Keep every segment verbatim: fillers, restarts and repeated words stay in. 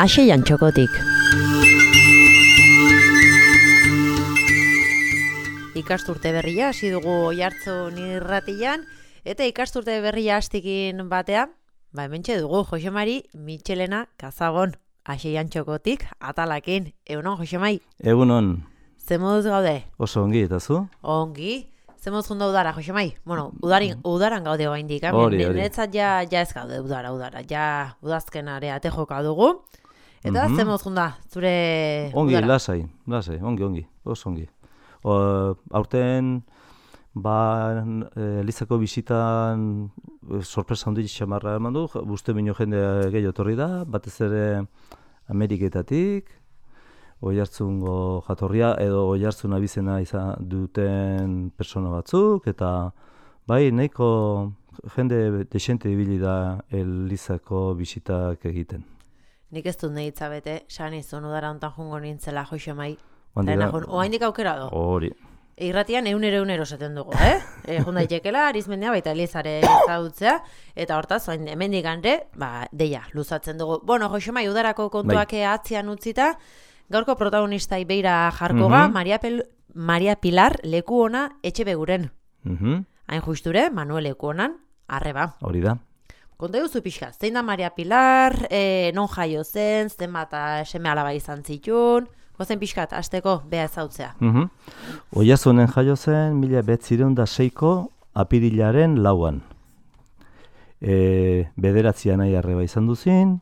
Axeian txokotik. Ikasturte berria hasi dugu Oiartzun irratian, eta ikasturte berria hastikin batea, ba hementxe dugu Josemari Michelena Kazagon, Axeian txokotik atalakin. Egunon, Josemai? Egunon. Zemoduz gaude? Oso ongi, eta zu? Ongi. Zemoduz junda udara, Josemai? Bueno, udarin, udaran gaude oraindik, eh? Hori, hori. Niretzat ja, ja ez gaude udara, udara. Ja udazkenare ate joka dugu. Eta mm-hmm. Zemoduz junda, zure ongi, udara? lasai, lasai, ongi, ongi, oso ongi. O, aurten, ba, Elizako bisitan e, sorpresa handi xamarra eman du, uste bino jende gehiago etorri da, batez ere Ameriketatik, Oiartzungo jatorria edo Oiartzun abizena izan duten persona batzuk, eta bai, nahiko jende desente ibili da Elizako bisitak egiten. Nik ez dut nahitza bete, san izun udara hontan jungo nintzela, Josemai. Bandira, oaindik aukera do. Hori. Irratian eunero eunero esaten dugu, eh? E, Junda itekela, arizmendea baita Elizare ezagutzea, eta hortaz, oain hemendik gande, ba, deia, luzatzen dugu. Bueno, Josemai, udarako kontuak bai. Atzian utzita, gaurko protagonistai beira jarko ga, mm-hmm. Maria, Pel, Maria Pilar leku ona etxe beguren. Mm-hmm. Hain justure, Manuel leku onan, arreba. Hori da. Konta duzu pixka, zein da Maria Pilar, e, non jaio zen, zen bat seme alaba izan zitun, gozen pixkat, azteko beha ezautzea. Mm-hmm. Oiartzunen jaio zen, mila bederatzieun eta seiko apirilaren lauan. E, bederatzian nahi arreba izan duzin,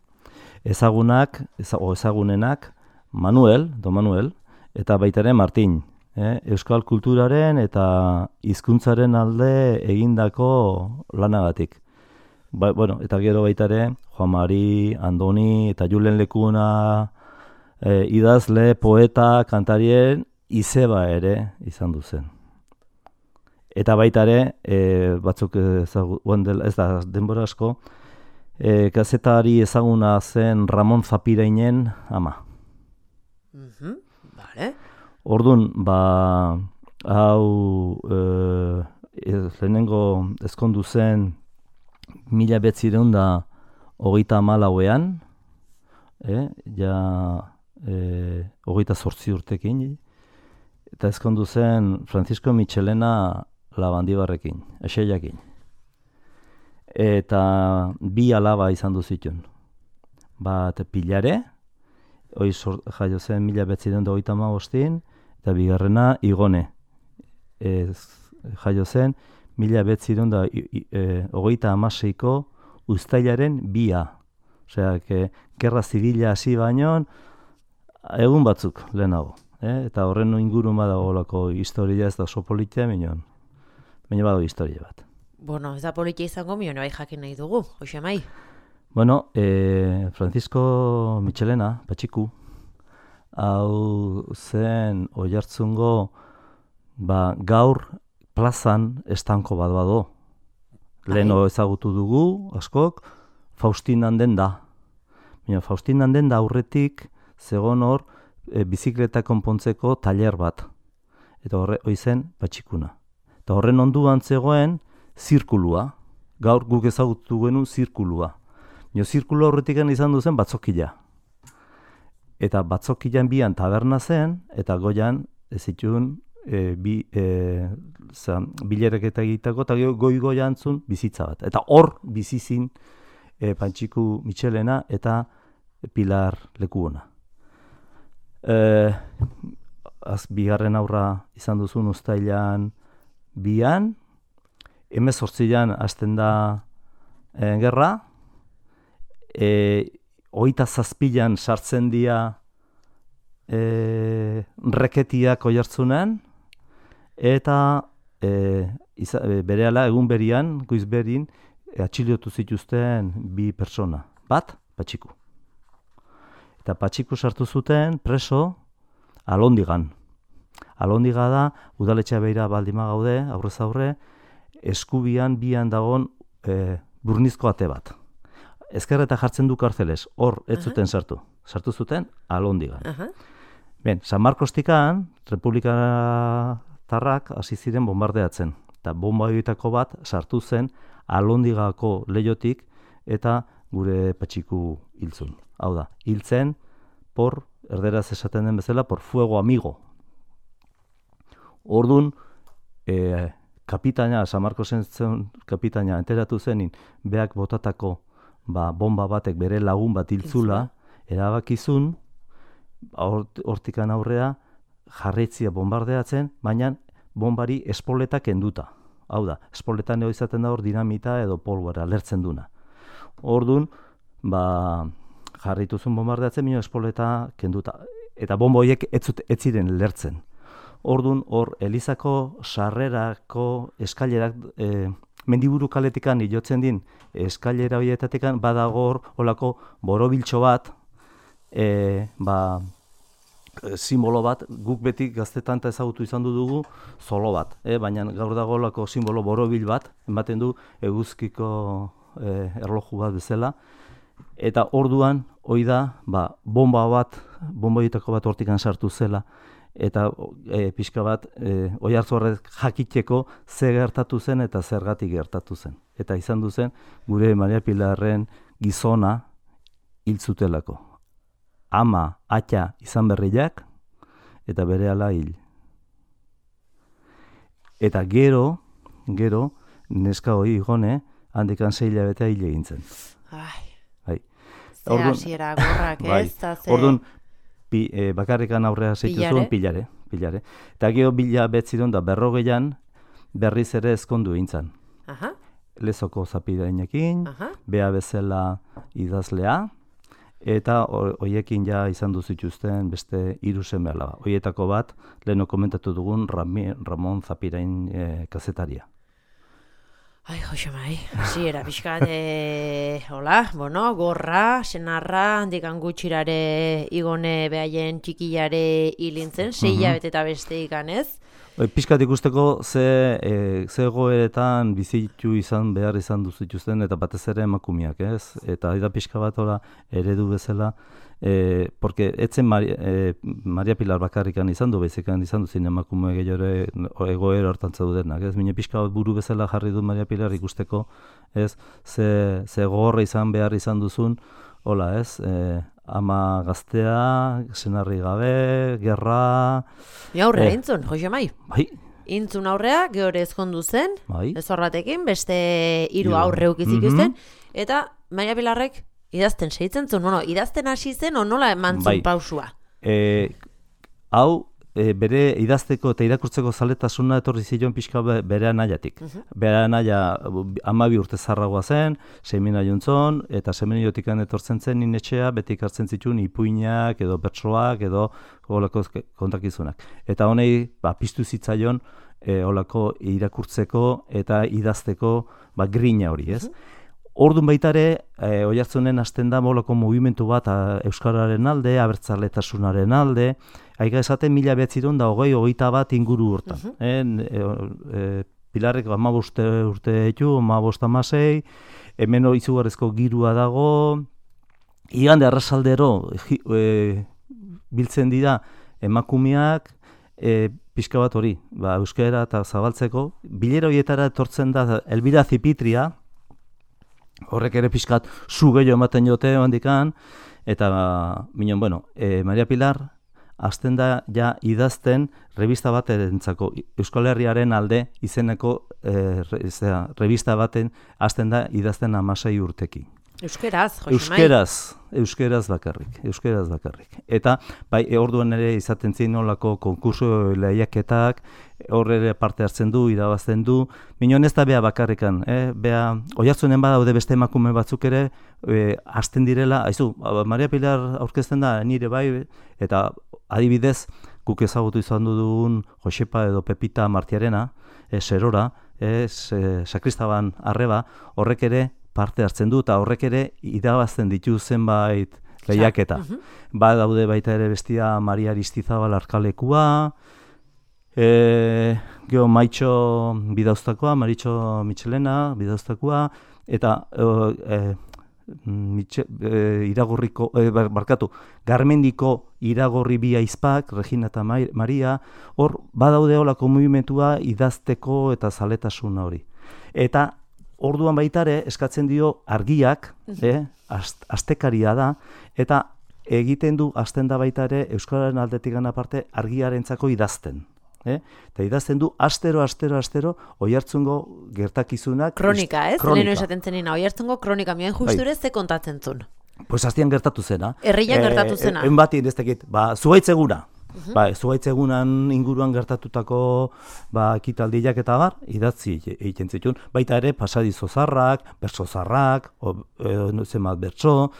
ezagunak, o ezagunenak, Manuel, do Manuel, eta baitaren Martin, eh? Euskal kulturaren eta hizkuntzaren alde egindako lanagatik. Ba, bueno, eta gero baitare, Juan Mari, Andoni eta Julen Lekuna eh, idazle, poeta, kantarien izeba ere izan duzen. Eta baitare, eh, batzuk ezagu, ez da denbora asko, eh, kazetari ezaguna zen Ramon Zapirainen ama. Mm-hmm. Vale. Orduan, ba, hau e, lehenengo ezkondu zen mila bederatzieun da hogeita hamalauean, eh, ja e, hogeita zortzi urtekin, eta ezkondu zen Francisco Michelena Labandibarrekin, Axeiakin. Eta bi alaba izan du zituen. Bat Pilare, hoi jaio zen mila bederatzieun da hogeita hamabostin, eta bigarrena Igone. Ez, jaio zen mila bederatzieun da hogeita hamaseiko uztailaren bia. Osea, que gerra zibila hasi baino egun batzuk lehenago. Eh? Eta horren ingurun badagolako historia ez da oso politia, minon. Baina badago historia bat. Bueno, ez da politia izango, minon bai jakin nahi dugu, Josemai. Bueno, eh, Francisco Michelena, Patxiku, hau zen Oiartzungo ba, gaur plazan estanko bat bado. Leheno ezagutu dugu, askok, Faustinan den da. Baina Faustinan den da aurretik zegon hor e, bizikleta konpontzeko tailer bat. Eta horre hoi zen Patxikuna. Eta horren onduan zegoen zirkulua. Gaur guk ezagutu genuen zirkulua. Jo, zirkulo horretik izan duzen batzokila. Eta batzokilan bian taberna zen, eta goian ez zituen e, bi, e, bilereketa egiteko, eta goi-goian zun bizitza bat. Eta hor bizizin e, Patxiku Michelena eta Pilar Lekuona. E, az, bigarren aurra izan duzun uztailan bian, hemezortzian hasten da e, gerra, E, oita zazpilan sartzen dira e, reketiak Oiartzunen, eta e, iza, e, berehala egun berian, goizberin, e, atxilotu zituzten bi persona. Bat, Patxiku. Eta Patxiku sartu zuten preso Alondigan. Alondiga da, udaletxea beira baldima gaude, aurrez aurre, eskubian bian dagon e, burnizko ate bat. Ezkerreta jartzen du kartzeles, hor ez zuten uh-huh. sartu. Sartu zuten Alondigan. Uh-huh. Ben, San Markostikan, Republikatarrak hasi ziren bombardeatzen. Eta bomba horietako bat sartu zen Alondigako leihotik eta gure Patxiku hiltzun. Hau da, hiltzen por, erderaz esaten den bezala, por fuego amigo. Ordun, e, kapitaina, San Marcosen zen kapitaina, enteratu zenin, beak botatako ba, bomba batek bere lagun bat hiltzula, erabakizun, hortikan aurrea, jarraitzia bombardeatzen, baina bombari espoletak kenduta. Hau da, espoletan eo izaten da hor dinamita edo polvora lertzen duna. Ordun, ba, jarrituzun bombardeatzen, minio espoleta kenduta. Eta bomba horiek ez ziren lertzen. Ordun, hor, Elizako sarrerako eskailerak, e, mendiburu kaletikan ilotzen din, eskailera horietatekan badago hor, olako borobiltxo bat, e, ba, simbolo bat, guk beti gaztetan ezagutu izan dugu zolo bat, e, baina gaur dago olako simbolo borobil bat, ematen du eguzkiko e, erloju bat bezala, eta orduan, hoi da, ba, bomba bat, bomba horietako bat hortikan sartu zela, eta e, pixka bat, e, oi hartzu horrek jakiteko ze gertatu zen eta zergatik gertatu zen. Eta izan du zen, gure Maria Pilarren gizona hiltzutelako. Ama, atxa izan berriak, eta berehala hil. Eta gero, gero, neska hori igone, handikan sei hilabetea hil egin zen. Ai, bai. ze hasiera gorrak, bai. ez? Ta ze... Orduan, pi, e, bakarrikan aurrea zeitu zuen, pilare, pilare. Eta gero bila betzidon da berrogeian berriz ere ezkondu egin. Aha. Lezoko zapidainekin, bea bezala idazlea, eta hoiekin ja izan duzituzten beste hiru seme alaba. Hoietako bat, leheno komentatu dugun Rami, Ramon Zapirain e, kazetaria. Ai, Josemai, hasiera pixkat, e, hola, bueno, gorra, senarra, handikan gutxirare igone behaien txikilare hilintzen, sei hilabete eta beste ikanez. Pixkat ikusteko ze, e, ze goeretan bizitu izan behar izan duzituzten eta batez ere emakumiak, ez? Eta da pixka bat hola eredu bezala, e, porque etzen Maria, e, Maria Pilar bakarrikan izan du, bezikan izan duzin emakume gehiore egoera hortan zaudenak, ez? Mine pixka bat buru bezala jarri du Maria Pilar ikusteko, ez? Ze, ze gogorra izan behar izan duzun, hola, ez? E, ama gaztea, senarri gabe, gerra... Ja, aurrea, eh, intzun, Josemai. Bai. Intzun aurrea, gehore ezkondu zen, bai. Ez horratekin, beste hiru aurre ukizik mm -hmm. eta Maria Pilarrek idazten segitzen zuen, no, no, idazten hasi zen, o nola eman zuen bai. pausua? E, hau, e, bere idazteko eta irakurtzeko zaletasuna etorri zion pixka bere anaiatik. Uh-huh. Bere anaia hamabi urte zarragoa zen, semina jontzon, eta seminiotikan etortzen zen inetxea, beti ikartzen zituen ipuinak, edo bertsoak, edo holako kontakizunak. Eta honei, ba, piztu zitzaion, e, holako irakurtzeko eta idazteko ba, grina hori, ez? Uh-huh. Orduan baita ere, e, Oiartzunen hasten da molako mugimendu bat a, Euskararen alde, abertzaletasunaren alde, aiga esaten mila behatziron da hogei, hogeita bat inguru hortan. Uh-huh. e, e, Pilarrek hamabost urte ditu, hamabost hamasei, hemen izugarrizko girua dago, igande arrasaldero e, biltzen dira emakumeak, e, pixka bat hori, ba, euskara eta zabaltzeko, bilera horietara etortzen da Elbira Zipitria, horrek ere pixkat zu gehiago ematen jote handikan, eta, minon, bueno, e, Maria Pilar hasten da ja idazten revista bat erentzako, Euskal Herriaren alde izeneko e, re, zera, revista baten hasten da idazten hamasei urtekin. Euskeraz, Josemai. Euskeraz, euskeraz bakarrik, euskeraz bakarrik. Eta, bai, orduan ere izaten zin nolako konkurso lehiaketak, hor ere parte hartzen du, irabazten du. Minon ez da bea bakarrikan, eh? Bea, Oiartzunen badaude beste emakume batzuk ere, e, hasten direla, haizu, Maria Pilar aurkezten da, nire bai, eta adibidez, guk ezagutu izan dugun Josepa edo Pepita Martiarena, e, Serora, e, Sakristaban Arreba, horrek ere, parte hartzen du, eta horrek ere irabazten ditu zenbait lehiaketa. Uh-huh. Ba daude baita ere bestia Maria Aristizabal Arkalekua, e, geho Maitxo Bidauztakoa, Maritxo Michelena Bidauztakoa, eta e, Mitxe, e, iragorriko, e, barkatu, Garmendiko iragorri bi aizpak, Regina eta Maria, hor badaude holako mugimentua idazteko eta zaletasuna hori. Eta orduan baitare eskatzen dio argiak, eh, ast, astekaria da, eta egiten du hasten da baita ere euskararen aldetik aparte argiarentzako idazten. Eh? Eta idazten du astero, astero, astero Oiartzungo gertakizunak. Kronika, ez? Leheno esaten zenina, Oiartzungo kronika, mioen justure ze kontatzen zuen. Pues hastian gertatu zena. Herrian gertatu zena. En bati ez dakit, ba, zuaitzeguna. Uh-huh. Ba, zuaitzegunan inguruan gertatutako ba, ekitaldiak eta bar, idatzi egiten zituen. Baita ere, pasadizo zarrak, bertso zarrak, e, zenbat bertso,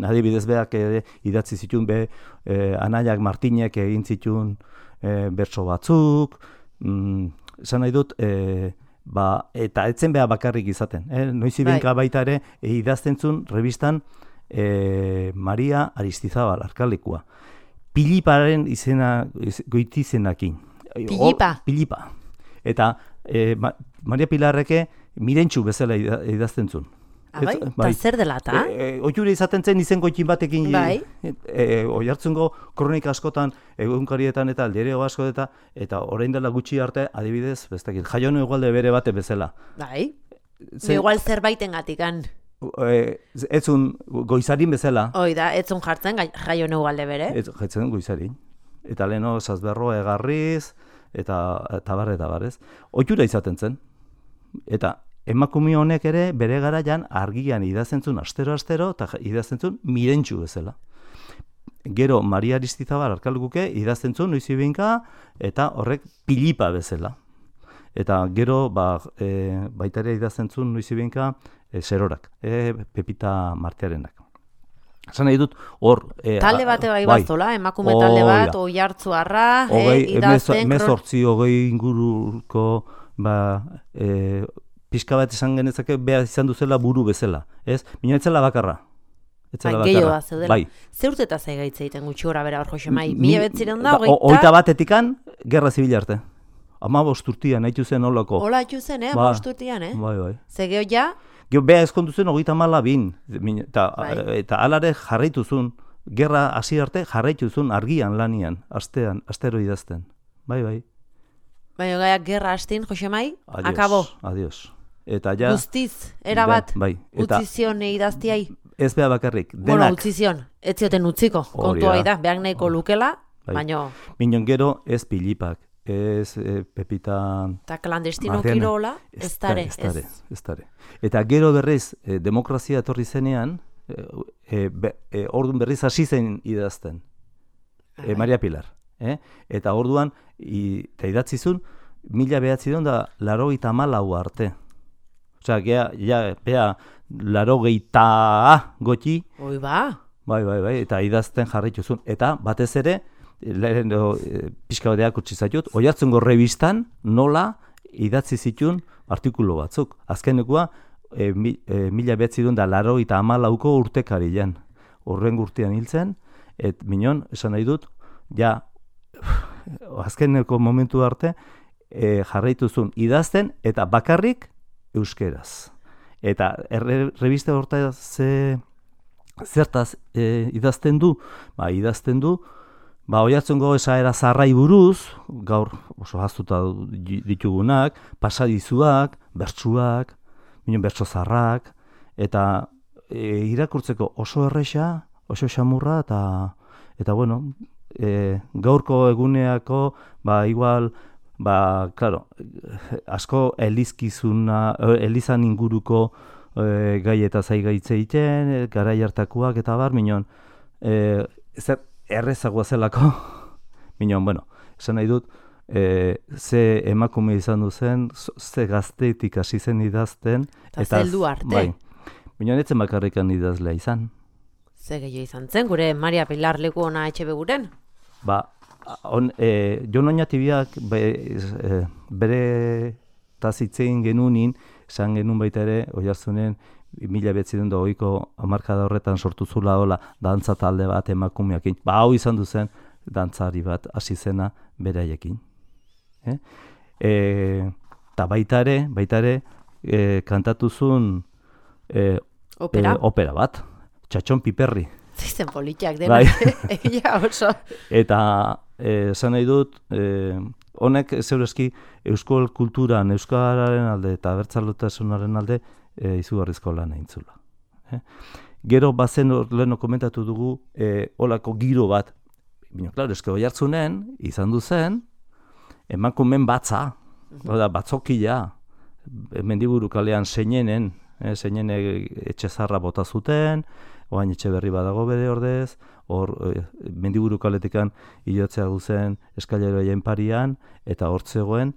adibidez beak e, idatzi zituen be, e, Anaiak Martinek egin zituen e, bertso batzuk, mm, esan nahi dut, e, ba, eta etzen beha bakarrik izaten. Eh? Noiz ibenka baita ere, e, idazten zuen revistan e, Maria Aristizabal, Arkalekua. Piliparen izena, goitizenakin. Pilipa? O, Pilipa. Eta e, Ma, Maria Pilarreke mirentxu bezala idazten zuen. Abai? Eta bai. Zer dela eta? E, e, Oiure izaten zen izen goitin batekin. Bai. E, e, Oiartzungo kronika askotan, egunkarietan eta aldereo asko eta, eta orain dela gutxi arte, adibidez, bestakit, Jaione Ugalde bere bate bezala. Bai. Zer, igual zerbaiten gatikan. E, etzun goizarin bezala. Hoi da, etzun jartzen Jaione Ugalde bere. Ez jartzen goizarin. Eta leheno Zazberroa egarriz, eta tabar eta barez. Oitura izaten zen. Eta emakume honek ere bere garaian argian idazten zuen astero-astero, eta idazten zuen mirentxu bezala. Gero Maria Aristizabal Arkalekuke idazten zuen noizibinka, eta horrek Pilipa bezala. Eta gero ba, e, baita ere idazten zuen noizibinka, E, Serorak, e, Pepita Martearenak. Esan nahi dut, hor... E, talde bate bai baztola, emakume o, talde bat, ja. Oiartzuarra, e, idazten... Emez hortzi, hogei inguruko, ba, e, pixka bat esan genezake, beha izan duzela buru bezala. Ez? Mina etzela bakarra. Etzela bai, gehiago da, zeudela. Bai. Ze urte eta zaigaitze egiten gutxi gora bera hor Josemai? Mila betziren da, hogeita... Hogeita batetikan, gerra zibil arte. Ama bosturtian, haitu zen holako. Hola haitu zen, eh? Ama bosturtian, eh? Bai, bai. Ze geho ja... Geo beha ezkondu zen hogeita mala bin, eta, eta alare jarraitu zuen, gerra hasi arte jarraitu zuen argian lanian, astean, astero idazten. Bai, bai. Bai, gaiak gerra hastin, Josemai, adios, akabo. Adios. Eta ja... Guztiz, erabat, bai, utzizion idaztiai. Ez beha bakarrik, denak... Bueno, utzizion, ez zioten utziko, kontua da, behar nahiko lukela, bai. Baino... Minon gero ez Pilipak. Ez e, Pepita... Eta klandestino kirola, ez dare. Ez dare. Eta gero berriz, e, demokrazia etorri zenean, e, be, e, orduan berriz hasi zen idazten. E, Maria Pilar. Eh? Eta orduan, i, eta idatzizun, mila behatzidon da laro gita malau arte. Osea, gea, ja, bea, laro gita goti. Oi ba. Bai, bai, bai, eta idazten jarraituzun. Eta batez ere, lehen e, pixka bateak utzi zaitut, Oiartzungo rebistan nola idatzi zituen artikulu batzuk. Azkenekua, e, mi, e, mila behatzidun da laro eta amalauko urtekarian. Horren urtean hiltzen, et minon, esan nahi dut, ja, azkeneko momentu arte, e, jarraituzun idazten eta bakarrik euskeraz. Eta erre, rebiste horta ze, zertaz e, idazten du? Ba, idazten du, ba, Oiartzungo esaera zarrai buruz, gaur oso haztuta ditugunak, pasadizuak, bertsuak, minon bertso zarrak, eta e, irakurtzeko oso erresa, oso xamurra, eta, eta bueno, e, gaurko eguneako, ba, igual, ba, claro, asko elizkizuna, elizan inguruko e, gai eta zaigaitze egiten, garai hartakoak eta bar, minon, e, zer, errezagoa zelako, minon, bueno, esan nahi dut, e, ze emakume izan duzen, ze gaztetik hasi zen idazten. Eta zeldu arte. Bai, minon etzen bakarrikan idazlea izan. Ze gehiago izan zen, gure Maria Pilar leku ona etxe beguren? Ba, on, e, Jon Oñatibiak be, e, bere tazitzein genunin, esan genuen baita ere, Oiartzunen, mila behatzidun da hogeiko hamarkada horretan sortu zula hola dantza talde bat emakumeakin. Ba, hau izan duzen dantzari bat hasi zena beraiekin. Eh? E, ta baita ere, baita ere, e, kantatu zuen e, opera? E, opera bat, Txatxon Piperri. Zizen politiak denak, egia oso. Eta esan nahi dut, e, honek zeurezki euskal kulturan, euskararen alde eta abertzaletasunaren alde e, izugarrizko lan eintzula. Eh? Gero bazen leheno komentatu dugu e, olako giro bat, bino, klaro, eske Oiartzunen izan du zen, emakumen batza, oda, batzokila, Mendiburu kalean zeinenen, eh, zeinene etxe zarra bota zuten, oain etxe berri badago bere ordez, hor eh, Mendiburu kaletikan hilotzea duzen eskaileroien parian, eta hor zegoen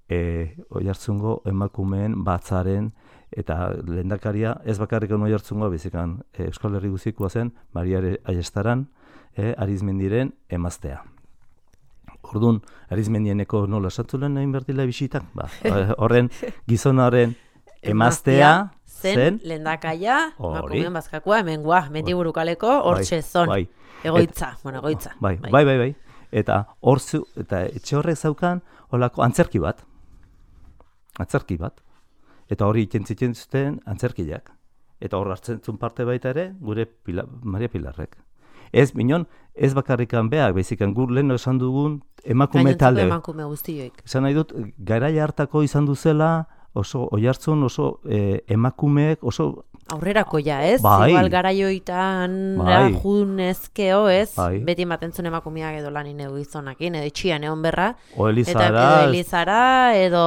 eh, Oiartzungo emakumeen batzaren, eta lehendakaria ez bakarrik Oiartzungo bizikan eh, Euskal Herri guzikoa zen, Maria Aiestaran, eh, Arizmendiren emaztea. Orduan, Arizmendieneko nola esatzulen egin berdila bisitak? Ba, horren gizonaren emaztea zen lehendakaia, emakumeen bazkakua, hemen gua, Mendiburu kaleko, hortxe zon, bai. egoitza, bueno, egoitza. Bai, bai, bai, bai. Eta hortzu, eta etxe horrek zaukan, holako antzerki bat, antzerki bat, eta hori itentzitzen zuten antzerkiak. Eta hor hartzen zuen parte baita ere, gure Pila, Maria Pilarrek. Ez, minon, ez bakarrikan beak, bezikan gur lehen esan dugun emakume talde. Emakume guztioik. Esan nahi dut, garaia hartako izan duzela, oso Oiartzun, oso eh, emakumeek, oso... Aurrerako ja, ez? Bai. Igual garaioitan Bai. rajunezkeo, ez? Bai. Beti ematentzun emakumeak edo lanin edo gizonakin, edo etxian egon berra. O Elizara. Eta edo Elizara, edo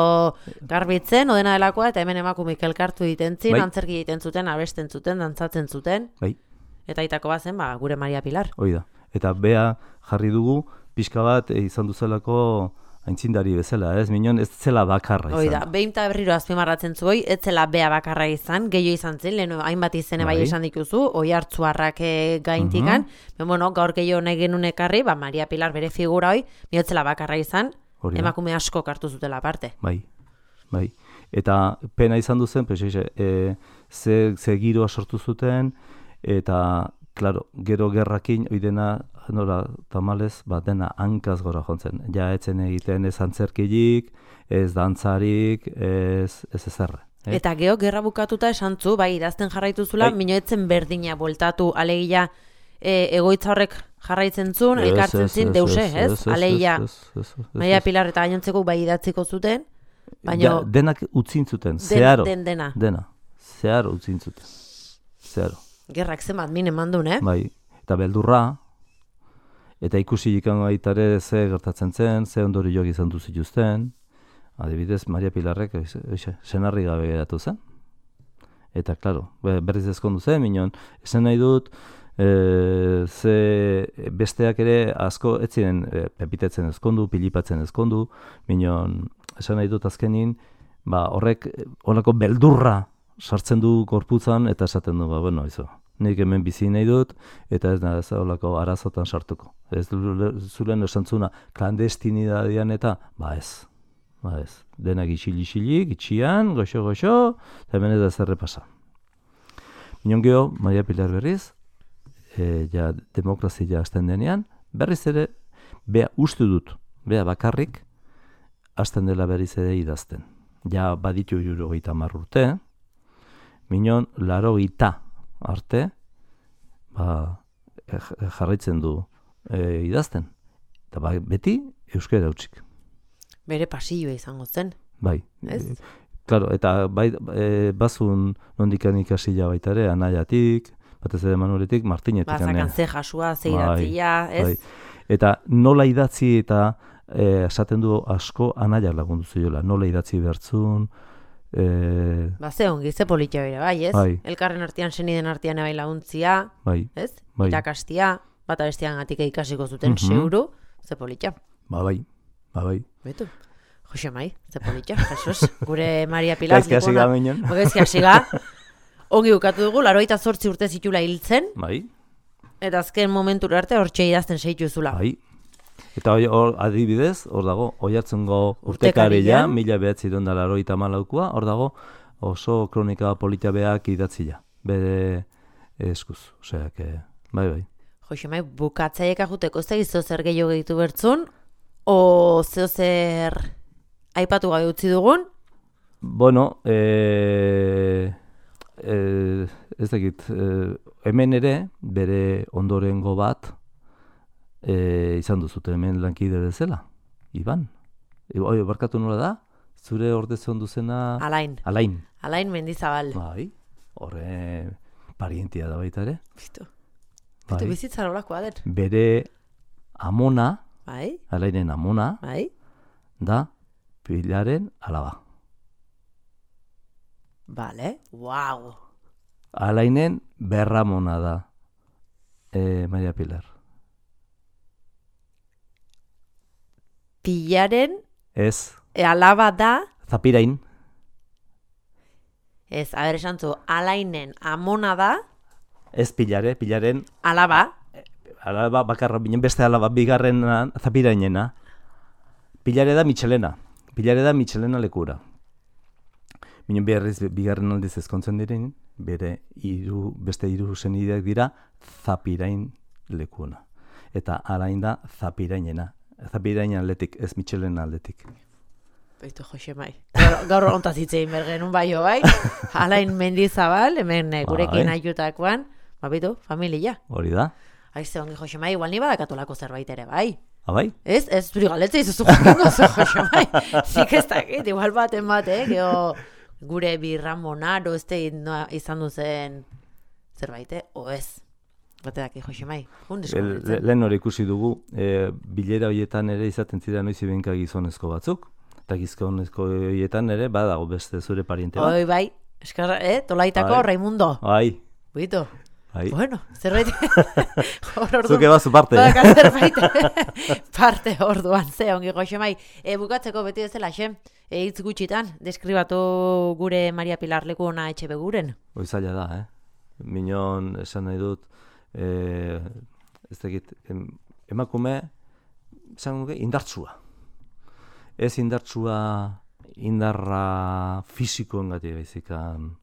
garbitzen, odena delakoa, eta hemen emakumeik elkartu egiten zin, Bai. antzerki egiten zuten, abesten zuten, dantzatzen zuten. Bai. Eta itako bazen, ba, gure Maria Pilar. Hoi da. Eta bea jarri dugu, pixka bat e, izan duzelako aintzindari bezala, ez? Minon ez zela bakarra izan. Hoi da, behin eta berriro azpimarratzen zuoi, ez zela bea bakarra izan, gehiago izan zen, lehen hainbat izene bai, Bai. esan dituzu, Oiartzuarrak e, gaintikan, uh bueno, gaur gehiago nahi genuen ekarri, ba, Maria Pilar bere figura hoi, bihotzela bakarra izan, Hori da. emakume asko hartu zutela aparte. Bai, bai. Eta pena izan duzen, pues, e, ze, ze giroa sortu zuten, eta, klaro, gero gerrakin, oidena, nora, tamalez, ba, dena hankaz gora jontzen. Ja, etzen egiten ez antzerkilik, ez dantzarik, ez, ez ezerre. Eh? Eta geho, gerra bukatuta esan zu, bai, idazten jarraitu zula, Bai. minoetzen berdina bueltatu, alegia, e, egoitza horrek jarraitzen zuen, Ez, elkartzen ez, zin, ez, deuse, ez, ez? ez, ez, Alegia, ez, ez, ez, ez, Maria ez. Pilar eta gainontzeko bai idatziko zuten, baina Ja, denak utzin zuten, den, zeharo. den dena. Dena, zeharo utzin zuten. Zeharo. Gerrak zenbat min eman duen, eh? Bai, eta beldurra, eta ikusi ikan baitare ze gertatzen zen, ze ondorioak izan du zituzten. Adibidez, Maria Pilarrek eixe, senarri gabe geratu zen. Eta, klaro, berriz ezkondu zen, minon, esan nahi dut, e, ze besteak ere asko ez ziren e, pepitetzen ezkondu, pilipatzen ezkondu, minon, esan nahi dut azkenin, ba, horrek horreko beldurra sartzen du korputzan, eta esaten du, ba, bueno, izo, nik hemen bizi nahi dut, eta ez da ez holako arazotan sartuko. Ez zulen esantzuna klandestinidadian eta, ba ez, ba ez. Denak isil-isilik, itxian, goxo-goxo, eta hemen ez da zerre pasa. Minon geho, Maria Pilar berriz, e, ja demokrazia hasten denean, berriz ere, bea uste dut, bea bakarrik, hasten dela berriz ere idazten. Ja baditu juro gita marrurte, minon laro gita arte, ba, jarraitzen du e, idazten. Eta ba, beti euskera utzik. Bere pasilloa izango zen, Bai. ez? Claro, eta bai, e, bazun nondikan ikasila baita ere, anaiatik, batez ere Manueletik, Martinetik. Bazakan ze jasua, ze Bai, idatzia, ez? Bai. Eta nola idatzi eta e, esaten du asko anaiak lagundu ziola. Nola idatzi bertzun, e, Ba, ze ongi, ze politia bere, bai, ez? Bai. Elkarren artean, seniden artean bai laguntzia, bai, ez? Bai. Irakastia, bata bestean gatik ikasiko zuten Mhm. seguru, ze politia. ba bai, ba bai. Betu, Jose Mai, ze politia, Jesus, gure Maria Pilar. Gaizki hasi ga minon. Gaizki hasi ga. Ongi bukatu dugu, larogeita zortzi urte zitula hiltzen, Bai, eta azken momentura arte hortxe idazten seitu zula. bai. Eta hori, hor adibidez, hor dago, Oiartzungo Urtekaria. urtekaria, mila behatziehun eta laurogeita hamalaukoa, hor dago oso kronika polita beak idatzia, bere eskuz, osea, que, bai, bai. Jose Mai, bukatzaiek ajuteko ez da gizo zer gehiago gehitu bertzun, o zeo zer aipatu gabe utzi dugun, Bueno, e, e, ez dakit, e, hemen ere, bere ondorengo bat, e, izan duzute hemen lankide bezala, Iban. E, oi, barkatu nola da? Zure ordezon duzena... Alain. Alain. Alain Mendizabal. Bai, horre parientia da baita ere. Bitu. Bai. Bitu bizitzara olakoa den. Bere amona, Bai. Alainen amona, Bai. da Pilaren alaba. Vale. Wow. Alainen berramona da e, Maria Pilar. Pilaren Ez, e, alaba da, Zapirain, ez, aber esan zu, Alainen amona da, ez Pilare, Pilaren alaba, alaba bakarra, binen beste alaba bigarren Zapirainena. Pilare da Michelena, Pilare da Michelena lekura. Binen beharriz bigarren aldiz ezkontzen diren, bere hiru beste hiru senideak dira Zapirain lekuna. Eta Alain da Zapirainena. Zapirain aldetik, ez Michelena aldetik. Beitu Josemai. Gaur, gaur ontaz hitzein bergenun baio bai. Alain Mendizabal, hemen eh, gurekin Bai. aiutakoan, ba bitu, familia. Hori da? Aize ongi Josemai, igual ni badakatolako zerbait ere bai. Abai? Ez, ez zuri galetze izuzu jakingo zu Josemai. Zik ez dakit, igual baten bate, geho gure birramonaro ez da izan duzen zerbait, eh? O ez. Bate daki Josemai. Le, lehen hori ikusi dugu, e, bilera horietan ere izaten ziren noiz ibenka gizonezko batzuk. Eta gizonezko horietan ere badago beste zure pariente bat. Oi bai, eskarra, eh? Tolaitako Bai. Raimundo. Bai, Buito. bai. Bueno, zerbait. Hor orduan. Zuke bazu parte. Baka zerbait. Parte orduan, ze ongi Josemai. E, bukatzeko beti bezala, xe, e, hitz gutxitan, deskribatu gure Maria Pilar leku ona etxe beguren. Hoi zaila da, eh? Minon esan nahi dut, e, ez dakit, em, emakume, esan nuke, indartsua. Ez indartsua, indarra fisikoen gati baizikan.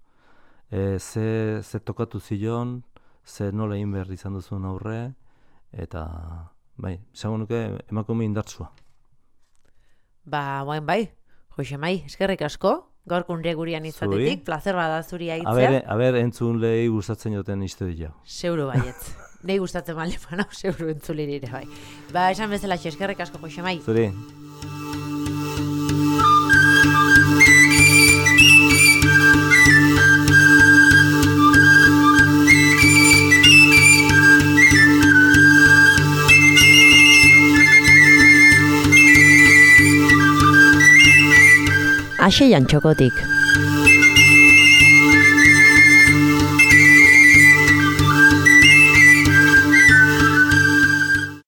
E, ze, ze tokatu zion, ze nola egin behar izan duzun aurre, eta, bai, esango nuke emakume indartsua. Ba, guain bai, Josemai, eskerrik asko, gaurko unre gurian izatetik, Zuri. plazer bada zuri aitzea. Aber, aber entzun lehi gustatzen joten izte dira. Seuro baietz. Nei gustatzen bale manau, seuro entzulirire bai. Ba, esan bezala, eskerrik asko Josemai. Zuri. Aseian txokotik.